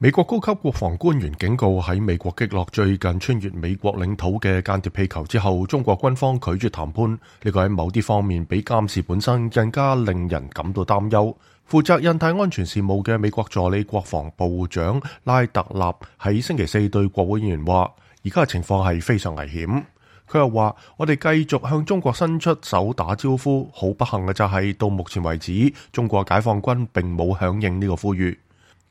美國高級國防官員警告，喺美國擊落最近穿越美國領土嘅間諜氣球之後，中國軍方拒絕談判。呢個喺某啲方面比監視本身更加令人感到擔憂。負責印太安全事務嘅美國助理國防部長拉特納喺星期四對國會議員話，而家嘅情況係非常危險。佢又話，我哋繼續向中國伸出手打招呼，好不幸嘅就係到目前為止，中國解放軍並冇響應呢個呼籲。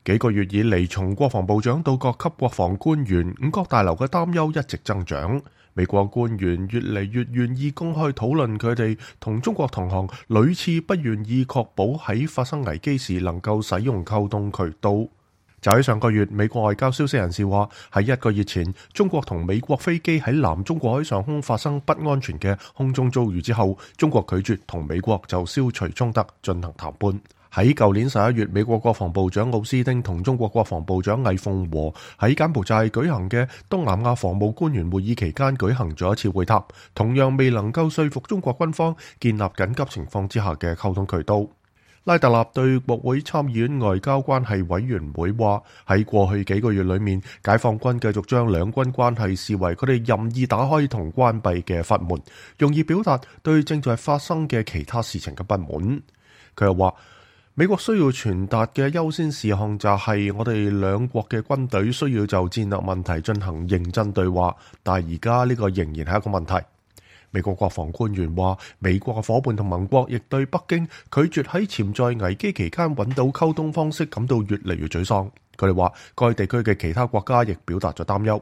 幾個月以嚟，從國防部長到各級國防官員，五角大樓嘅擔憂一直增長。美國官員越嚟越願意公開討論佢哋同中國同行屢次不願意確保喺發生危機時能夠使用溝通渠道。就喺上個月，美國外交消息人士話，喺1個月前，中國同美國飛機喺南中國海上空發生不安全嘅空中遭遇之後，中國拒絕同美國就消除衝突進行談判。喺舊年11月，美國國防部長奧斯汀同中國國防部長魏鳳和喺柬埔寨舉行嘅東南亞防務官員會議期間舉行咗一次會談，同樣未能夠說服中國軍方建立緊急情況之下嘅溝通渠道。拉特納對國會參議院外交關係委員會話，喺過去幾個月裏面，解放軍繼續將兩軍關係視為佢哋任意打開同關閉嘅閥門，容易表達對正在發生嘅其他事情嘅不滿。佢又話，美國需要傳達嘅優先事項就係我哋兩國嘅軍隊需要就戰略問題進行認真對話，但係而家呢個仍然係一個問題。美國國防官員話，美國嘅夥伴同盟國亦對北京拒絕喺潛在危機期間揾到溝通方式感到越嚟越沮喪。佢哋話，該地區嘅其他國家亦表達咗擔憂。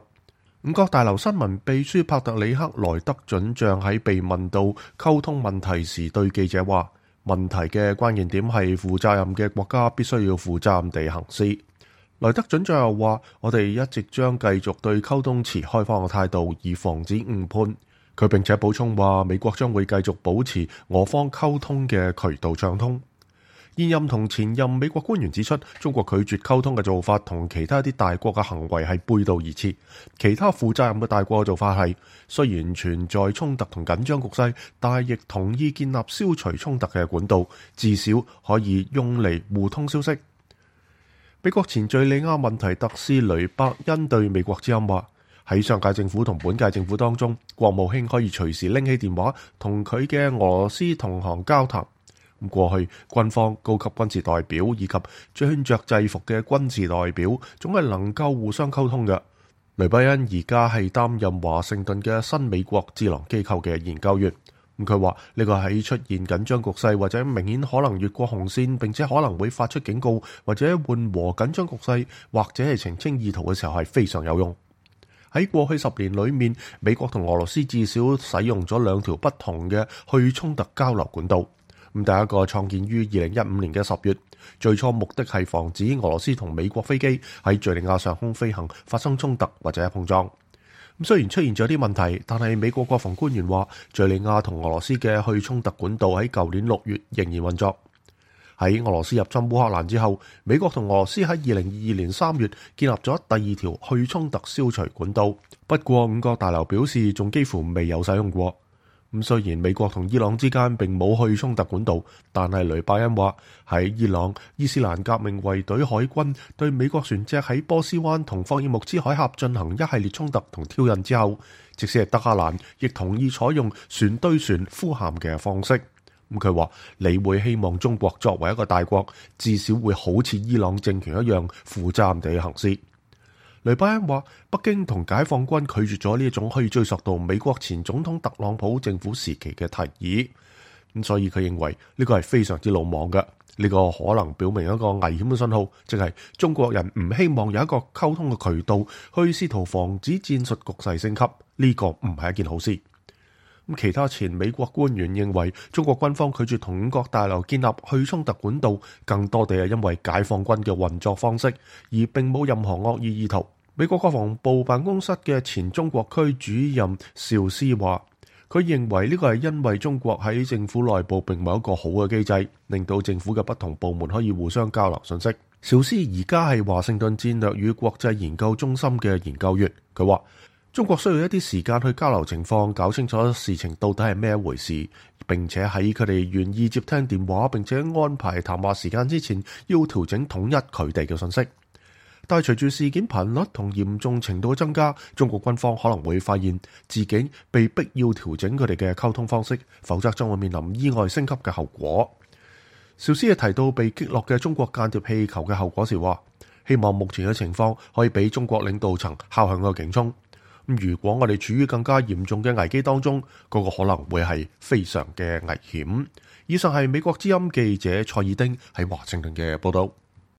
五角大樓新聞秘書帕特里克萊德准將喺被問到溝通問題時對記者話，問題嘅關鍵點係負責任嘅國家必須要負責任地行事。萊德准將又話，我哋一直將繼續對溝通持開放嘅態度，以防止誤判。佢並且補充話，美國將會繼續保持俄方溝通嘅渠道暢通。現任同前任美國官員指出，中國拒絕溝通嘅做法同其他啲大國嘅行為係背道而馳。其他負責任嘅大國嘅做法係，雖然存在衝突同緊張局勢，但係亦同意建立消除衝突嘅管道，至少可以用嚟互通消息。美國前敘利亞問題特使雷伯恩對美國之音話，喺上屆政府同本屆政府當中，國務卿可以隨時拎起電話同佢嘅俄羅斯同行交談。過去軍方高級軍事代表以及穿着制服嘅軍事代表總係能夠互相溝通嘅。雷伯恩而家係擔任華盛頓嘅新美國智囊機構嘅研究員。佢話呢個喺出現緊張局勢或者明顯可能越過紅線，並且可能會發出警告或者緩和緊張局勢或者係澄清意圖嘅時候係非常有用。喺過去10年裏面，美國同俄羅斯至少使用咗2條不同嘅去衝突交流管道。第一個創建於2015年嘅10月，最初目的係防止俄羅斯同美國飛機喺敘利亞上空飛行發生衝突或者碰撞。雖然出現咗啲問題，但係美國國防官員話，敘利亞同俄羅斯嘅去衝突管道喺舊年6月仍然運作。喺俄羅斯入侵烏克蘭之後，美國同俄羅斯喺2022年3月建立咗第2條去衝突消除管道。不過五角大樓表示，仲幾乎未有使用過。雖然美國同伊朗之間並冇去衝突管道，但係雷伯恩話，喺伊朗伊斯蘭革命衛隊海軍對美國船隻喺波斯灣同霍爾木茲海峽進行一系列衝突同挑釁之後，即使係德黑蘭亦同意採用船對船呼喊嘅方式。佢話，你會希望中國作為一個大國，至少會好似伊朗政權一樣負責任地行事。雷伯恩話，北京同解放軍拒絕咗呢一種可以追溯到美國前總統特朗普政府時期嘅提議，所以佢認為呢個係非常之魯莽嘅。呢個可能表明一個危險嘅信號，即係中國人唔希望有一個溝通嘅渠道去試圖防止戰術局勢升級，呢個唔係一件好事。其他前美國官員認為，中國軍方拒絕同五角大樓建立去衝突管道，更多地係因為解放軍嘅運作方式，而並冇任何惡意意圖。美國國防部辦公室嘅前中國區主任邵斯話，佢認為呢個係因為中國喺政府內部並冇一個好嘅機制，令到政府嘅不同部門可以互相交流信息。邵斯而家係華盛頓戰略與國際研究中心嘅研究員，佢話，中國需要一啲時間去交流情況，搞清楚事情到底係咩一回事，並且喺佢哋願意接聽電話並且安排談話時間之前，要調整統一佢哋嘅信息。但係隨住事件頻率同嚴重程度嘅增加，中國軍方可能會發現自己被逼要調整佢哋嘅溝通方式，否則將會面臨意外升級嘅後果。邵斯亦提到被擊落嘅中國間諜氣球嘅後果時話，希望目前嘅情況可以俾中國領導層敲響個警鐘。如果我哋處於更加嚴重嘅危機當中，嗰個可能會係非常嘅危險。以上係美國之音記者蔡爾丁喺華盛頓嘅報道。